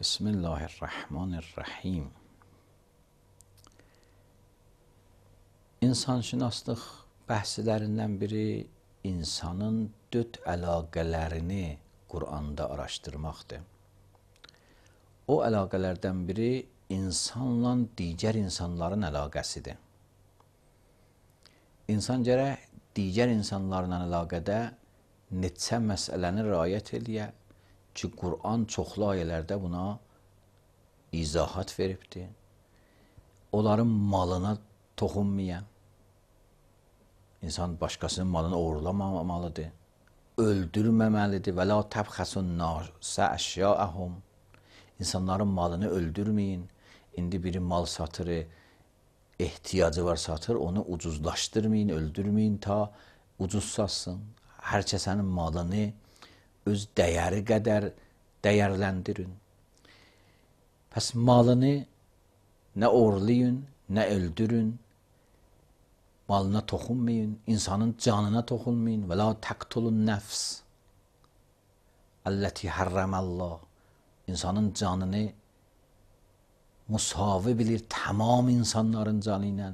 Bismillahirrahmanirrahim. İnsanşünaslıq bəhslərindən biri insanın dörd əlaqələrini Quranda araşdırmaqdır. O əlaqələrdən biri insanla digər insanların əlaqəsidir. İnsan gərək digər insanlarla əlaqədə neçə məsələni riayət eləyə ki, Qur'an çoxlu ayələrdə buna izahat veribdir. Onların malına toxunmayan, insan başqasının malını oğurlamamalıdır, öldürməməlidir. Və la təbxəsun nasə əşyaəhum. İnsanların malını öldürməyin. İndi biri mal satır, ehtiyacı var satır, onu ucuzlaşdırmayın, öldürməyin ta ucuz satsın. Hər kəsənin malını öz dəyəri qədər dəyərləndirin. Pəs malını nə oğurlayın, nə öldürün, malına toxunmayın, insanın canına toxunmayın. Və la təqtulun nəfs əlləti hərrəməllah. İnsanın canını musavi bilir tamam insanların canı ilə.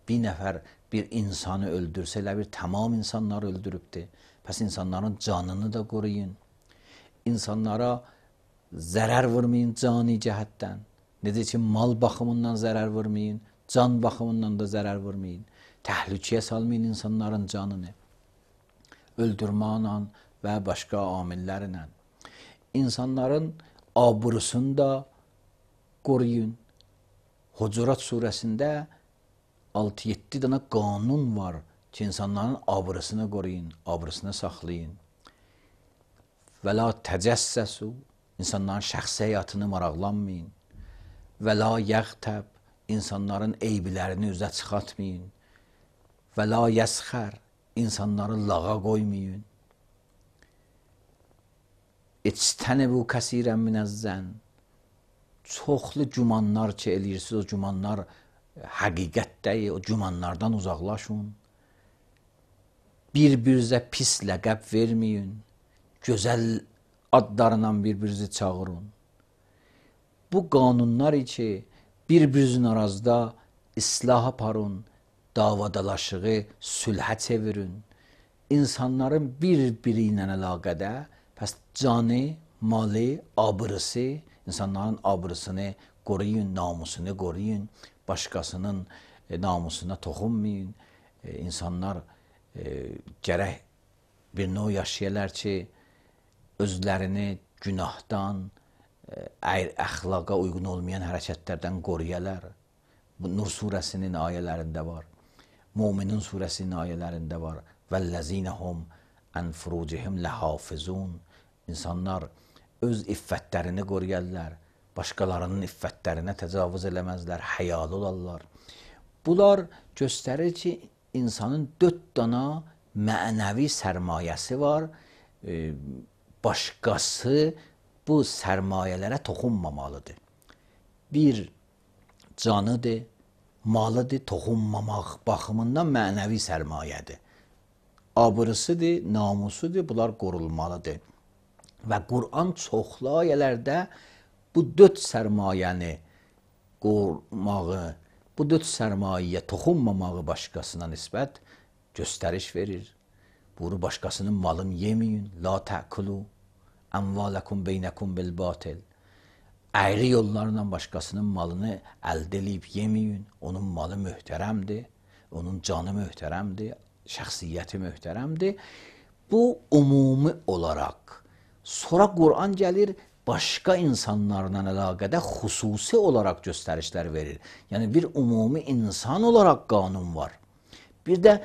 Bir nəfər bir insanı öldürsə, elə bir tamam insanları öldürübdür. Pəs insanların canını da qoruyun. İnsanlara zərər vurmayın cani cəhətdən. Necə ki, mal baxımından zərər vurmayın, can baxımından da zərər vurmayın. Təhlükəyə salmayın insanların canını. Öldürməklə və başqa amillərlə. İnsanların abrusunu da qoruyun. Hucurat surəsində 6-7 dənə qanun var ki, insanların abrusunu qoruyun, abrusunu saxlayın. Və la təcəssəsu, insanların şəxsi həyatını maraqlanmayın. Və la yəğtəb, insanların eyblərini üzə çıxartmayın. Və la yəsxər, insanları lağa qoymayın. İctənibu kəsirən minəzzən, çoxlu gümanlar ki eləyirsiniz, o gümanlar həqiqət deyil, o gümanlardan uzaqlaşın. Bir-birinizə pis ləqəb verməyin. Gözəl adlarla bir-birinizi çağırın. Bu qanunlar ki, bir-birinizin arazda islah aparın, davadalaşığı sülhə çevirin. İnsanların bir-biri ilə əlaqədə, pəs canı, malı, abrısı, insanların abrısını qoruyun, namusunu qoruyun, başqasının namusuna toxunmayın. İnsanlar gərək bir növ yaşayırlar ki, özlərini günahdan, əxlaqa uyğun olmayan hərəkətlərdən qoruyarlar. Bu Nur surəsinin ayələrində var. Müminin surəsinin ayələrində var. Vəlləzinəhum ən furucihim ləhafizun. İnsanlar öz iffətlərini qoruyarlar. Başqalarının iffətlərinə təcavüz eləməzlər, həyalı olarlar. Bunlar göstərir ki, insanın 4 dana mənəvi sərmayəsi var. Başqası bu sərmayələrə toxunmamalıdır. Bir, canıdır, malıdır, toxunmamaq baxımından mənəvi sərmayədir. Abrısıdır, namusudur, bunlar qorulmalıdır. Və Qur'an çoxlu ayələrdə bu 4 sərmayəni qorumağı, bu 4 sərmayəyə toxunmamağı başqasına nisbət göstəriş verir. Bunu başqasının malını yeməyin. La tə'kulu əmvalakum beynəkum bil batil. Əyri yollarla başqasının malını əldə edib yeməyin. Onun malı möhtərəmdir, onun canı möhtərəmdir, şəxsiyyəti möhtərəmdir. Bu ümumi olaraq. Sonra Qur'an gəlir, başqa insanlarla əlaqədə xüsusi olaraq göstərişlər verir. Yəni bir ümumi insan olaraq qanun var. Bir də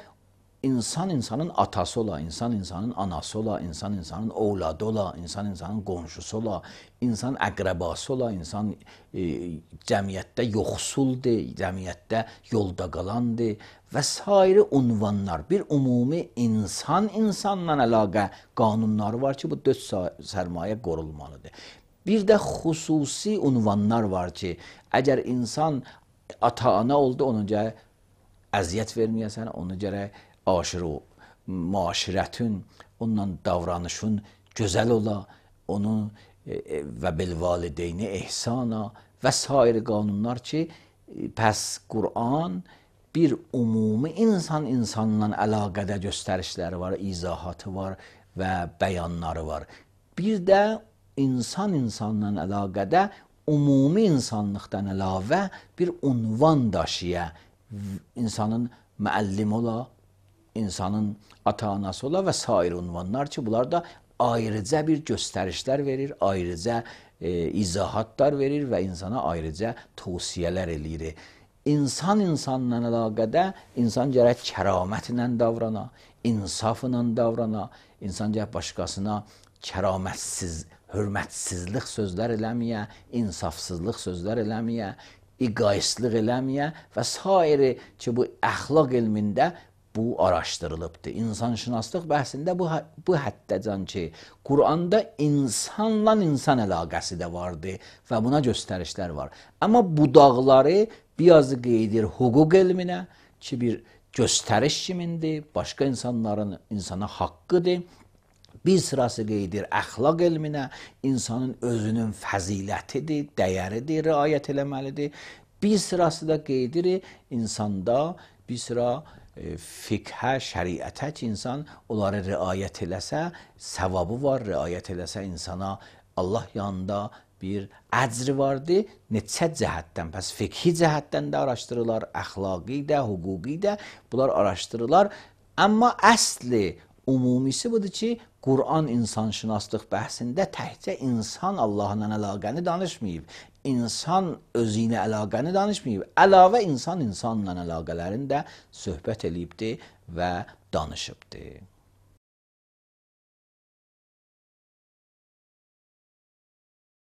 İnsan insanın atası ola, insan insanın anası ola, insan insanın ovladı ola, insan insanın qonşusu ola, insan əqrəbası ola, insan cəmiyyətdə yoxsuldur, cəmiyyətdə yolda qalandır və s. unvanlar. Bir ümumi insanla əlaqə qanunları var ki, bu 4 sərmayə qorulmalıdır. Bir də xüsusi unvanlar var ki, əgər insan ata-ana oldu, ona görə əziyyət verməyəsən, ona görə aşırı müaşirətin, onunla davranışın gözəl ola, onu və bilvalideyni ehsana və sair qanunlar ki, pəs Qur'an bir ümumi insanla əlaqədə göstərişləri var, izahatı var və bəyanları var. Bir də insanla əlaqədə ümumi insanlıqdan əlavə bir unvan daşıya, insanın müəllim ola, insanın ata-anası ola və sair unvanlar ki, bunlar da ayrıca bir göstərişlər verir, ayrıca izahatlar verir və insana ayrıca tövsiyələr eləyir. İnsanla əlaqədə insan gərək kəramətlə davrana, insafla davrana, insan gərək başqasına kəramətsiz, hörmətsizlik sözlər eləməyə, insafsızlıq sözlər eləməyə, egoistlik eləməyə və sair ki, bu əxlaq elmində bu araşdırılıbdır. İnsanşünaslıq bəhsində bu həddəcan ki, Qur'anda insanla insan əlaqəsi də vardır və buna göstərişlər var. Amma budaqları biraz qeydir hüquq elminə ki, bir göstəriş kimindir, başqa insanların insana haqqıdır. Bir sırası qeydir əxlaq elminə, insanın özünün fəzilətidir, dəyəridir, riayət eləməlidir. Bir sırası da qeydir insanda bir sıra fiqhə, şəriətə ki, insan onları riayət eləsə, savabı var, riayət eləsə insana Allah yanında bir əcri vardır. Neçə cəhətdən, pəs fiqhi cəhətdən də araşdırırlar, əxlaqi də, hüquqi də bunlar araşdırırlar. Amma əsli, umumisi budur ki, Qur'an insanşünaslıq bəhsində təkcə insan Allahla əlaqəni danışmayıb. İnsan özü ilə əlaqəni danışmayıb. Əlavə insan insanla əlaqələrini də söhbət eləyibdir və danışıbdır.